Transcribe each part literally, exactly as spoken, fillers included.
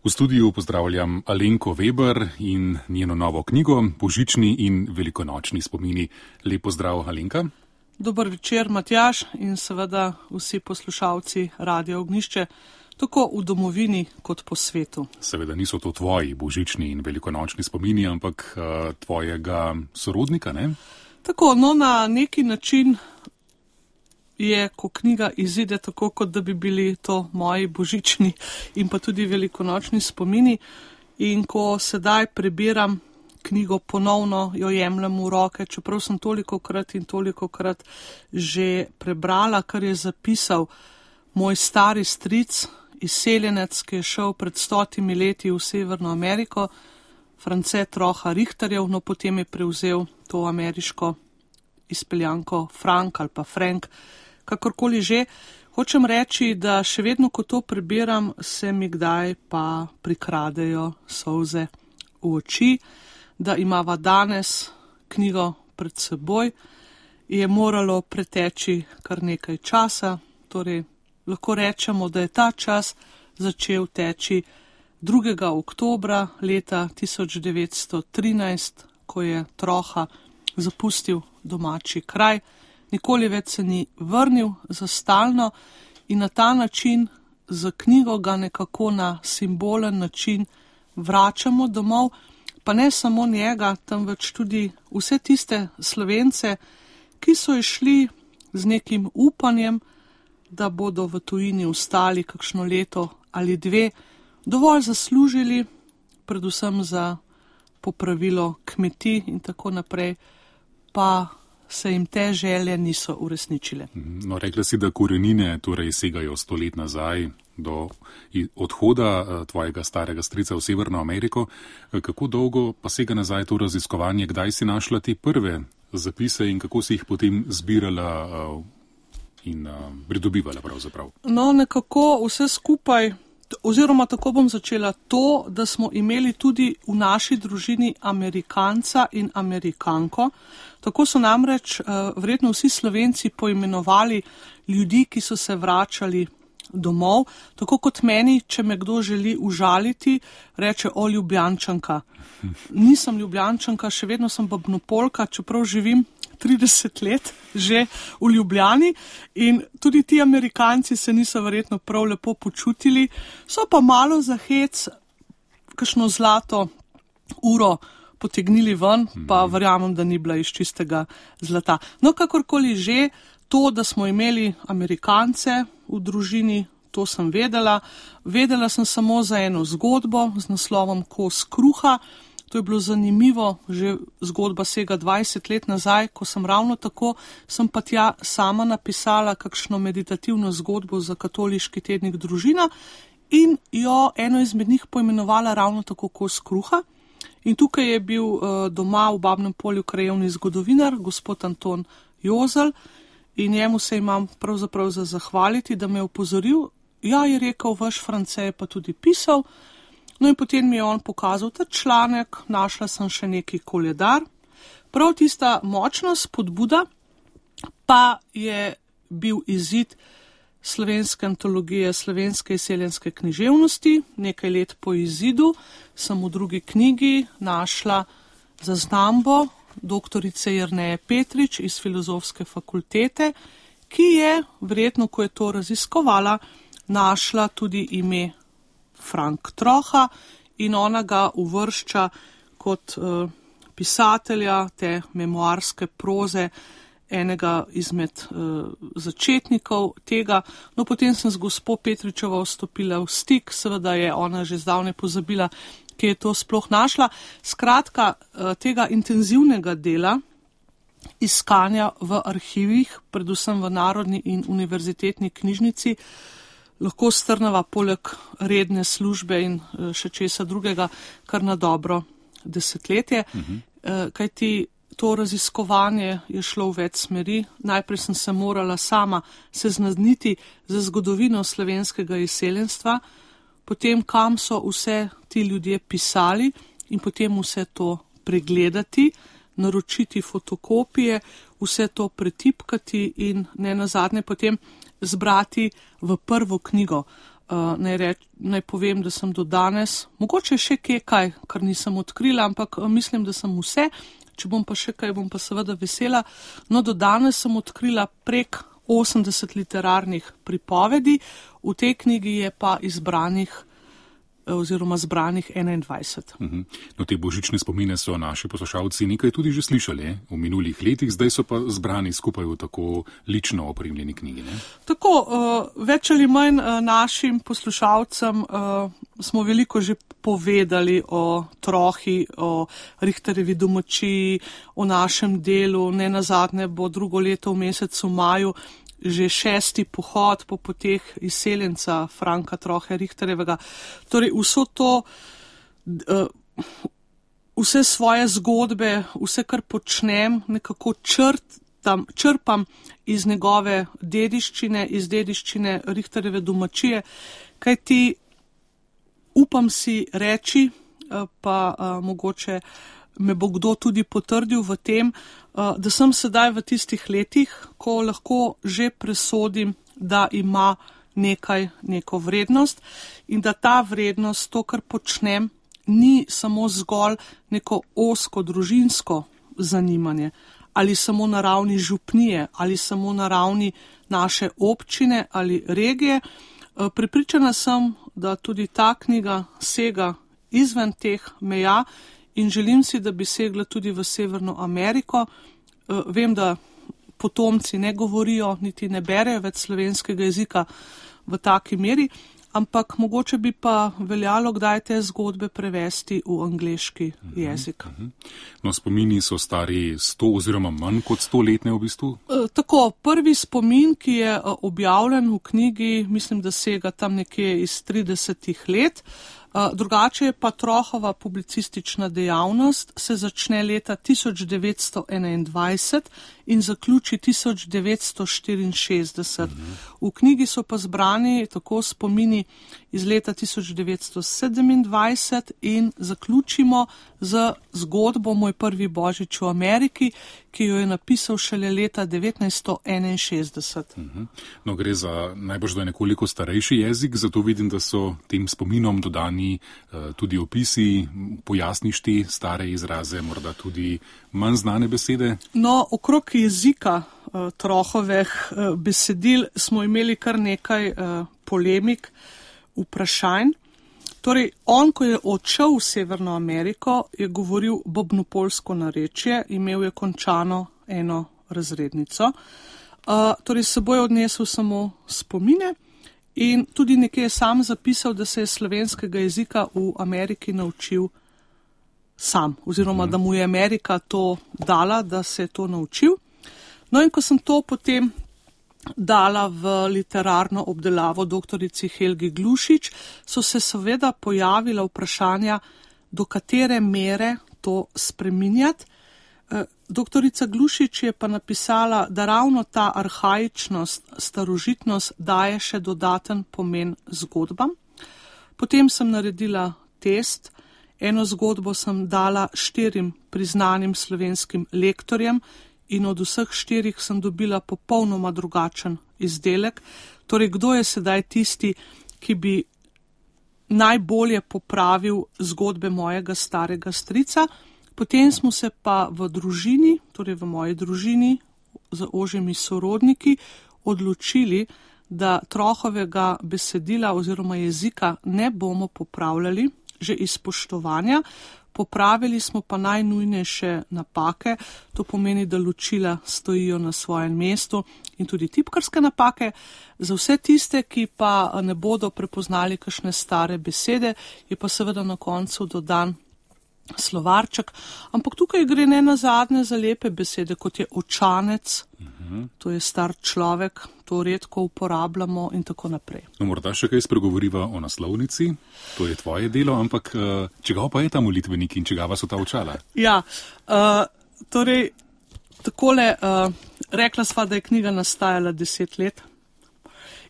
V studiu pozdravljam Alenko Veber in njeno novo knjigo Božični in velikonočni spomini. Lep pozdrav, Alenka. Dober večer, Matjaž, in seveda vsi poslušalci Radia Ognjišče, tako v domovini kot po svetu. Seveda niso to tvoji božični in velikonočni spomini, ampak uh, tvojega sorodnika, ne? Tako, no na neki način je, ko knjiga izide, tako kot da bi bili to moji božični in pa tudi velikonočni spomini. In ko sedaj prebiram knjigo ponovno, jo jemljem v roke, čeprav sem tolikokrat in tolikokrat že prebrala, kar je zapisal moj stari stric, izseljenec, ki je šel pred stotimi leti v Severno Ameriko, France Troha Richterjev, no potem je prevzel to ameriško izpeljanko Frank ali pa Frank, kakorkoli že. Hočem reči, da še vedno, ko to prebiram, se mi kdaj pa prikradejo solze v oči, da imava danes knjigo pred seboj, je moralo preteči kar nekaj časa, torej lahko rečemo, da je ta čas začel teči drugega oktobra leta tisoč devetsto trinajst, ko je Troha zapustil domači kraj, nikoli več se ni vrnil za stalno in na ta način za knjigo ga nekako na simbolen način vračamo domov, pa ne samo njega, temveč tudi vse tiste Slovence, ki so išli z nekim upanjem, da bodo v tujini ostali kakšno leto ali dve, dovolj zaslužili, predvsem za popravilo kmetij in tako naprej, pa se jim te želje niso uresničile. No, rekla si, da korenine torej segajo sto let nazaj do odhoda tvojega starega strica v Severno Ameriko. Kako dolgo pa sega nazaj to raziskovanje? Kdaj si našla te prve zapise in kako si jih potem zbirala in pridobivala pravzaprav? No, nekako vse skupaj, oziroma tako bom začela, to, da smo imeli tudi v naši družini Amerikanca in Amerikanko. Tako so namreč uh, verjetno vsi Slovenci poimenovali ljudi, ki so se vračali domov. Tako kot meni, če me kdo želi užaliti, reče o Ljubljančanka. Nisem Ljubljančanka, še vedno sem Babnopolka, čeprav živim trideset let že v Ljubljani in tudi ti Amerikanci se niso verjetno prav lepo počutili. So pa malo za hec kakšno zlato uro potegnili ven, pa verjamem, da ni bila iz čistega zlata. No, kakorkoli že, to, da smo imeli Amerikance v družini, to sem vedela. Vedela sem samo za eno zgodbo z naslovom Kos kruha. To je bilo zanimivo, že zgodba sega dvajset let nazaj, ko sem ravno tako, sem pa tja sama napisala kakšno meditativno zgodbo za katoliški tednik Družina in jo eno izmed njih poimenovala ravno tako Kos kruha. In tukaj je bil uh, doma v Babnem Polju krajevni zgodovinar, gospod Anton Jozel, in njemu se imam pravzaprav za zahvaliti, da me je opozoril. Ja, je rekel, vaš France je pa tudi pisal. No in potem mi je on pokazal ta članek, našla sem še neki koledar. Prav tista močna spodbuda pa je bil izid slovenske antologije slovenske izseljenske književnosti. Nekaj let po izidu sem v drugi knjigi našla zaznambo doktorice Jerneje Petrič iz Filozofske fakultete, ki je, verjetno, ko je to raziskovala, našla tudi ime Frank Troha in ona ga uvršča kot uh, pisatelja te memoarske proze, enega izmed uh, začetnikov tega. No, potem sem z gospo Petričevo vstopila v stik, seveda je ona že zdavnaj pozabila, kje je to sploh našla. Skratka, uh, tega intenzivnega dela, iskanja v arhivih, predvsem v Narodni in univerzitetni knjižnici, lahko strnava poleg redne službe in še česa drugega kar na dobro desetletje. Uh-huh. Kajti to raziskovanje je šlo v več smeri. Najprej sem se morala sama seznaniti z zgodovino slovenskega izseljenstva, potem kam so vse ti ljudje pisali in potem vse to pregledati, naročiti fotokopije, vse to pretipkati in ne nazadnje potem zbrati v prvo knjigo. Uh, naj, reč, naj povem, da sem do danes, mogoče še kje kaj, kar nisem odkrila, ampak uh, mislim, da sem vse. Če bom pa še kaj, bom pa seveda vesela. No, do danes sem odkrila prek osemdeset literarnih pripovedi, v tej knjigi je pa izbranih oziroma zbranih enaindvajset. Uh-huh. No, te božične spomine so naši poslušalci nekaj tudi že slišali v minulih letih, zdaj so pa zbrani skupaj v tako lično opremljeni knjigi. Ne? Tako, uh, več ali manj uh, našim poslušalcem uh, smo veliko že povedali o Trohi, o Richterjevi domačiji, o našem delu. Ne nazadnje bo drugo leto v mesecu maju že šesti pohod po poteh izseljenca Franka Trohe Richterjevega. Torej vso to, vse svoje zgodbe, vse, kar počnem, nekako črtam, črpam iz njegove dediščine, iz dediščine Richterjeve domačije, kajti upam si reči, pa mogoče me bo kdo tudi potrdil v tem, da sem sedaj v tistih letih, ko lahko že presodim, da ima nekaj, neko vrednost in da ta vrednost, to, kar počnem, ni samo zgolj neko ozko družinsko zanimanje ali samo na ravni župnije ali samo na ravni naše občine ali regije. Prepričana sem, da tudi ta knjiga sega izven teh meja in želim si, da bi segla tudi v Severno Ameriko. Vem, da potomci ne govorijo, niti ne berejo več slovenskega jezika v taki meri, ampak mogoče bi pa veljalo kdaj te zgodbe prevesti v angleški jezik. No, spomini so stari sto oziroma manj kot sto letne v bistvu? Tako, prvi spomin, ki je objavljen v knjigi, mislim, da sega tam nekje iz tridesetih let. Drugače je pa Trohova publicistična dejavnost, se začne leta tisoč devetsto enaindvajset in zaključi tisoč devetsto štiriinšestdeset. V knjigi so pa zbrani tako spomini iz leta tisoč devetsto sedemindvajset in zaključimo z zgodbo Moj prvi božič v Ameriki, ki jo je napisal šele leta devetnajststo enainšestdeset. No, gre za najbrž da nekoliko starejši jezik, zato vidim, da so tem spominom dodani uh, tudi opisi, pojasniš te stare izraze, morda tudi manj znane besede. No, okrog jezika uh, Trohovih uh, besedil smo imeli kar nekaj uh, polemik, vprašanj. Torej, on, ko je odšel v Severno Ameriko, je govoril bobnopolsko narečje, imel je končano eno razrednico. Uh, torej, seboj je odnesel samo spomine in tudi nekje je sam zapisal, da se je slovenskega jezika v Ameriki naučil sam, oziroma da mu je Amerika to dala, da se je to naučil. No in ko sem to potem dala v literarno obdelavo doktorici Helgi Glušič, so se seveda pojavila vprašanja, do katere mere to spreminjati. Doktorica Glušič je pa napisala, da ravno ta arhaičnost, starožitnost daje še dodaten pomen zgodbam. Potem sem naredila test, eno zgodbo sem dala štirim priznanim slovenskim lektorjem, in od vseh štirih sem dobila popolnoma drugačen izdelek. Torej, kdo je sedaj tisti, ki bi najbolje popravil zgodbe mojega starega strica? Potem smo se pa v družini, torej v moji družini, z ožjimi sorodniki, odločili, da Trohovega besedila oziroma jezika ne bomo popravljali, že iz spoštovanja. Popravili smo pa najnujnejše napake, to pomeni, da ločila stojijo na svojem mestu in tudi tipkarske napake. Za vse tiste, ki pa ne bodo prepoznali kakšne stare besede, je pa seveda na koncu dodan slovarček. Ampak tukaj gre ne nazadnje za lepe besede, kot je očanec, uh-huh. To je star človek, to redko uporabljamo in tako naprej. No, morda še kaj spregovoriva o naslovnici, to je tvoje delo, ampak čigava pa je ta molitvenik in čigava so ta očala? Ja, uh, torej, takole, uh, rekla sva, da je knjiga nastajala deset let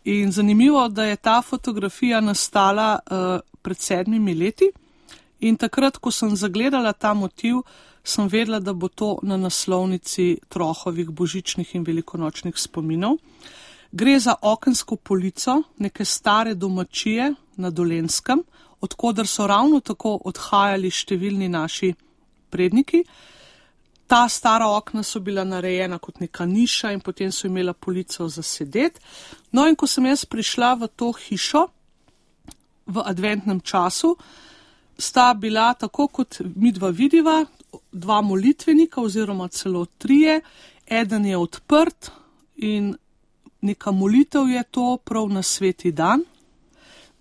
in zanimivo, da je ta fotografija nastala uh, pred sedmimi leti. In takrat, ko sem zagledala ta motiv, sem vedela, da bo to na naslovnici Trohovih božičnih in velikonočnih spominov. Gre za okensko polico neke stare domačije na Dolenjskem, odkoder so ravno tako odhajali številni naši predniki. Ta stara okna so bila narejena kot neka niša in potem so imela polico za sedet. No in ko sem jaz prišla v to hišo v adventnem času, sta bila tako kot midva vidiva, dva molitvenika oziroma celo trije. Eden je odprt in neka molitev je to prav na sveti dan.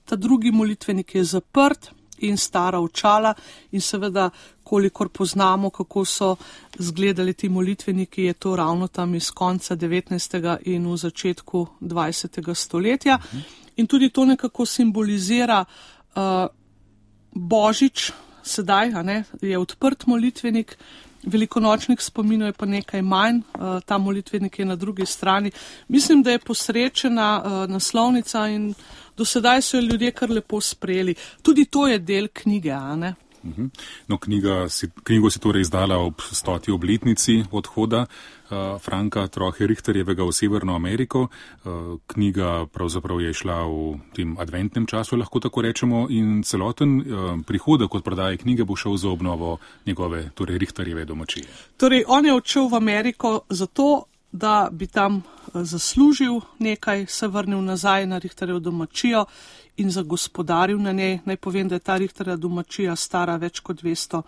Ta drugi molitvenik je zaprt in stara očala in seveda, kolikor poznamo, kako so izgledali ti molitveniki, je to ravno tam iz konca devetnajstega in v začetku dvajsetega stoletja. In tudi to nekako simbolizira uh, Božič, sedaj a ne, je odprt molitvenik, velikonočnih spominov je pa nekaj manj, uh, ta molitvenik je na drugi strani. Mislim, da je posrečena uh, naslovnica in do sedaj so jo ljudje kar lepo sprejeli. Tudi to je del knjige, a ne? No, knjiga si, knjigo si torej izdala ob stoti obletnici odhoda uh, Franka Trohe Richterjevega v Severno Ameriko. Uh, knjiga pravzaprav je šla v tem adventnem času, lahko tako rečemo, in celoten uh, prihodek od prodaje knjige bo šel za obnovo njegove, torej Richterjeve domačije. Torej, on je odšel v Ameriko zato, da bi tam zaslužil nekaj, se vrnil nazaj na Richterjevo domačijo in zagospodaril na njej. Naj povem, da je ta Richterjeva domačija stara več kot dvesto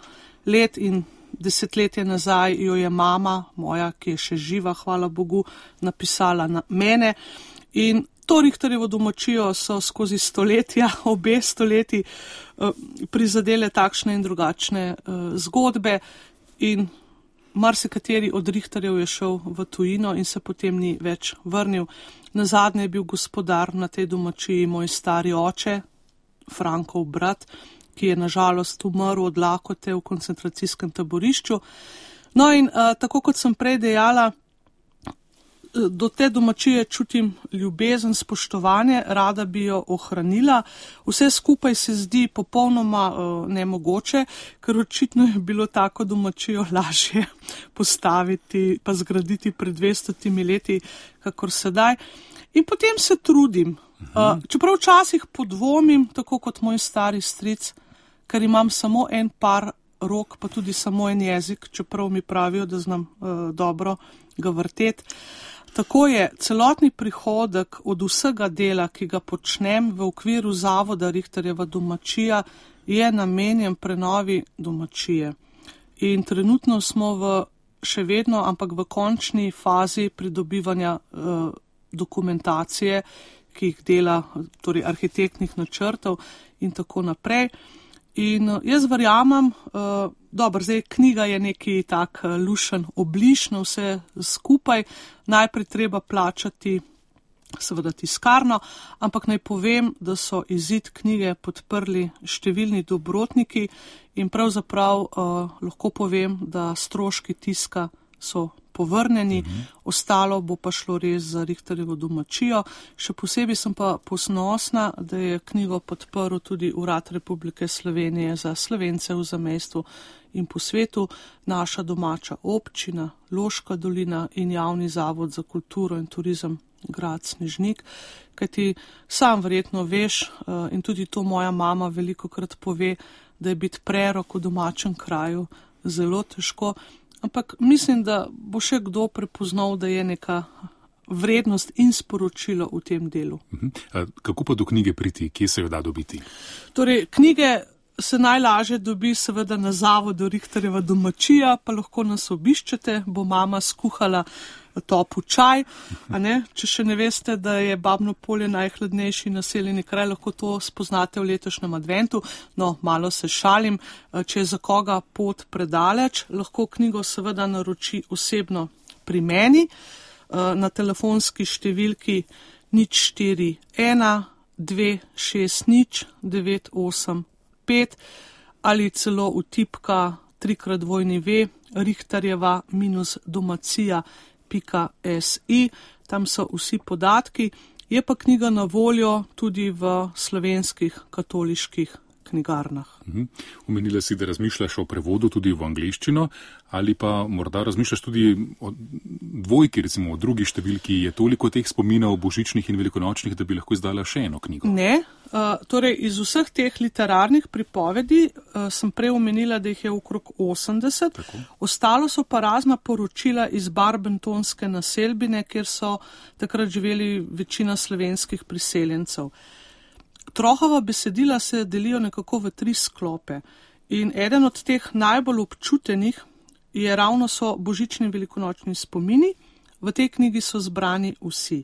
let in desetletje nazaj jo je mama moja, ki je še živa, hvala Bogu, napisala na mene. In to Richterjevo domačijo so skozi stoletja, obe stoletji, prizadele takšne in drugačne zgodbe in marsikateri od Richterjev je šel v tujino in se potem ni več vrnil. Nazadnje je bil gospodar na tej domačiji moj stari oče, Frankov brat, ki je nažalost umrl od lakote v koncentracijskem taborišču. No in a, tako kot sem prej dejala, do te domačije čutim ljubezen, spoštovanje, rada bi jo ohranila. Vse skupaj se zdi popolnoma uh, nemogoče, ker očitno je bilo tako domačijo lažje postaviti pa zgraditi pred dvestotimi leti, kakor sedaj. In potem se trudim. Uh, čeprav včasih podvomim, tako kot moj stari stric, ker imam samo en par rok, pa tudi samo en jezik, čeprav mi pravijo, da znam uh, dobro ga vrteti. Tako je, celotni prihodek od vsega dela, ki ga počnem v okviru zavoda Richterjeva domačija, je namenjen prenovi domačije. In trenutno smo v, še vedno, ampak v končni fazi pridobivanja eh, dokumentacije, ki jih dela, torej arhitektnih načrtov in tako naprej. In jaz verjamem, uh, dobro, zdaj knjiga je neki tak uh, lušen obliž na vse skupaj, najprej treba plačati seveda tiskarno, ampak naj povem, da so izid knjige podprli številni dobrotniki in pravzaprav uh, lahko povem, da stroški tiska so povrnjeni, mhm. ostalo bo pa šlo res za Richterjevo domačijo. Še posebej sem pa ponosna, da je knjigo podprl tudi Urad Republike Slovenije za Slovence v zamejstvu in po svetu, naša domača občina, Loška dolina in Javni zavod za kulturo in turizem grad Snežnik, kajti sam verjetno veš in tudi to moja mama velikokrat pove, da je biti prerok v domačem kraju zelo težko. Ampak mislim, da bo še kdo prepoznal, da je neka vrednost in sporočilo v tem delu. Kako pa do knjige priti? Kje se jo da dobiti? Torej, knjige se najlažje dobi seveda na zavodu Richterjeva domačija, pa lahko nas obiščete, bo mama skuhala topu čaj, a ne? Če še ne veste, da je Babno Polje najhladnejši naseljeni kraj, lahko to spoznate v letošnjem adventu. No, malo se šalim, če je za koga pot predaleč, lahko knjigo seveda naroči osebno pri meni na telefonski številki nič štiri ena dve šest nič devet osem pet ali celo vtipka trikrat dvojni ve richterjeva minus domacija pika si, tam so vsi podatki. Je pa knjiga na voljo tudi v slovenskih katoliških knjigarnah. Omenila si, da razmišljaš o prevodu tudi v angleščino, ali pa morda razmišljaš tudi o dvojki, recimo o drugi številki. Je toliko teh spominov božičnih in velikonočnih, da bi lahko izdala še eno knjigo? Ne, uh, torej iz vseh teh literarnih pripovedi uh, sem prej omenila, da jih je okrog osemdeset. Tako. Ostalo so pa razna poročila iz Barbentonske naselbine, kjer so takrat živeli večina slovenskih priseljencev. Trohova besedila se delijo nekako v tri sklope in eden od teh najbolj občutenih je ravno so božični in velikonočni spomini. V tej knjigi so zbrani vsi.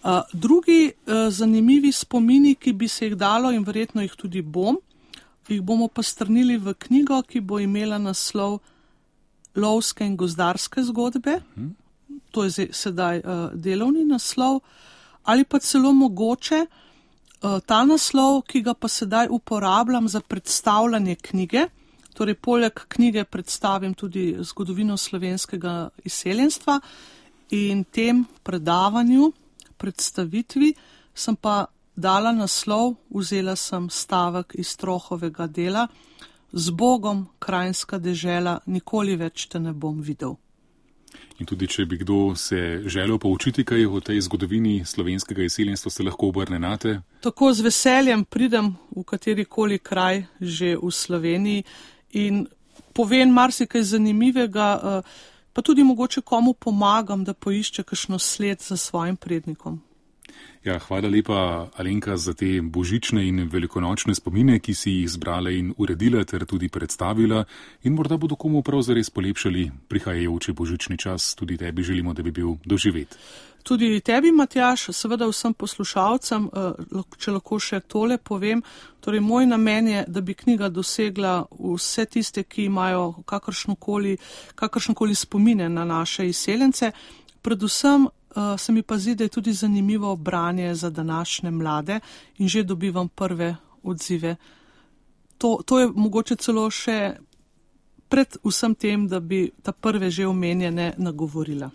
Uh, drugi uh, zanimivi spomini, ki bi se jih dalo in verjetno jih tudi bom, jih bomo pa strnili v knjigo, ki bo imela naslov Lovske in gozdarske zgodbe. Hmm. To je sedaj uh, delovni naslov. Ali pa celo mogoče ta naslov, ki ga pa sedaj uporabljam za predstavljanje knjige, torej poleg knjige predstavim tudi zgodovino slovenskega izseljenstva in tem predavanju, predstavitvi sem pa dala naslov, vzela sem stavek iz Trohovega dela: Z Bogom, krajinska dežela, nikoli več te ne bom videl. In tudi, če bi kdo se želel poučiti kaj o tej zgodovini slovenskega izseljenstva, se lahko obrne nate? Tako z veseljem pridem v katerikoli kraj že v Sloveniji in povem marsikaj zanimivega, pa tudi mogoče komu pomagam, da poišče kakšno sled za svojim prednikom. Ja, hvala lepa, Alenka, za te božične in velikonočne spomine, ki si jih zbrala in uredila ter tudi predstavila in morda bodo komu prav zares polepšali prihajajoči božični čas. Tudi tebi želimo, da bi bil doživet. Tudi tebi, Matjaž, seveda vsem poslušalcem, če lahko še tole povem, torej moj namen je, da bi knjiga dosegla vse tiste, ki imajo kakršnokoli, kakršnokoli spomine na naše izseljence, predvsem Uh, se mi pa zdi, da je tudi zanimivo branje za današnje mlade in že dobivam prve odzive. To, to je mogoče celo še pred vsem tem, da bi ta prve že omenjene nagovorila.